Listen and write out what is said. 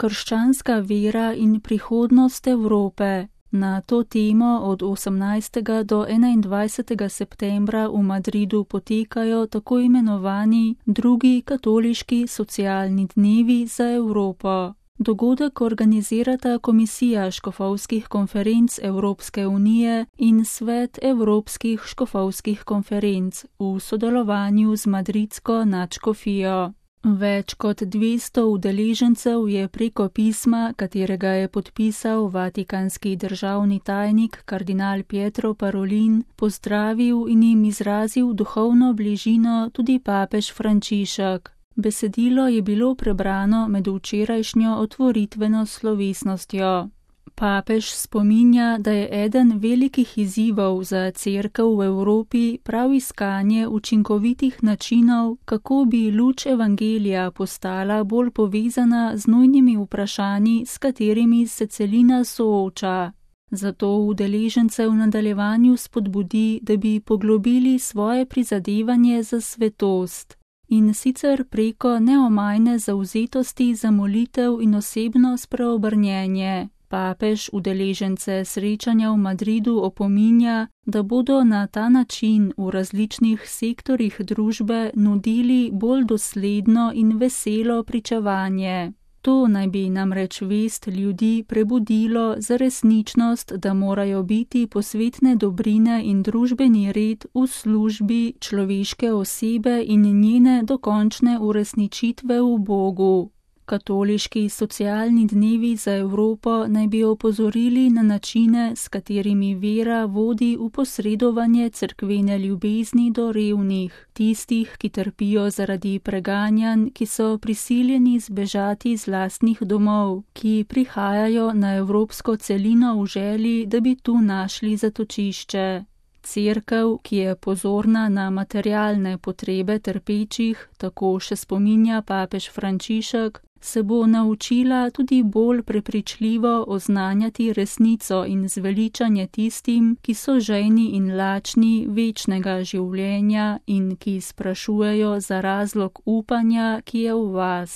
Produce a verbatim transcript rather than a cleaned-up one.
krščanska vera in prihodnost Evrope. Na to temo od osemnajstega do enaindvajsetega septembra v Madridu potekajo tako imenovani drugi katoliški socialni dnevi za Evropo. Dogodek organizirata Komisija škofovskih konferenc Evropske unije in Svet Evropskih škofovskih konferenc v sodelovanju z madridsko nadškofijo. Več kot dvesto udeležencev je preko pisma, katerega je podpisal vatikanski državni tajnik kardinal Pietro Parolin, pozdravil in jim izrazil duhovno bližino tudi papež Frančišek. Besedilo je bilo prebrano med včerajšnjo otvoritveno slovesnostjo. Papež spominja, da je eden velikih izzivov za Cerkev v Evropi prav iskanje učinkovitih načinov, kako bi luč evangelija postala bolj povezana z nujnimi vprašanji, s katerimi se celina sooča. Zato udeležence v nadaljevanju spodbudi, da bi poglobili svoje prizadevanje za svetost. In sicer preko neomajne zavzetosti za molitev in osebno spreobrnjenje. Papež udeležence srečanja v Madridu opominja, da bodo na ta način v različnih sektorjih družbe nudili bolj dosledno in veselo pričevanje. To naj bi namreč vest ljudi prebudilo za resničnost, da morajo biti posvetne dobrine in družbeni red v službi človeške osebe in njene dokončne uresničitve v Bogu. Katoliški socialni dnevi za Evropo naj bi opozorili na načine, s katerimi vera vodi v posredovanje cerkvene ljubezni do revnih, tistih, ki trpijo zaradi preganjanj, ki so prisiljeni zbežati iz lastnih domov, ki prihajajo na evropsko celino v želji, da bi tu našli zatočišče. Cerkev, ki je pozorna na materialne potrebe trpečih, tako še spominja papež Frančišek, se bo naučila tudi bolj prepričljivo oznanjati resnico in zveličanje tistim, ki so žejni in lačni večnega življenja in ki sprašujejo za razlog upanja, ki je v vas.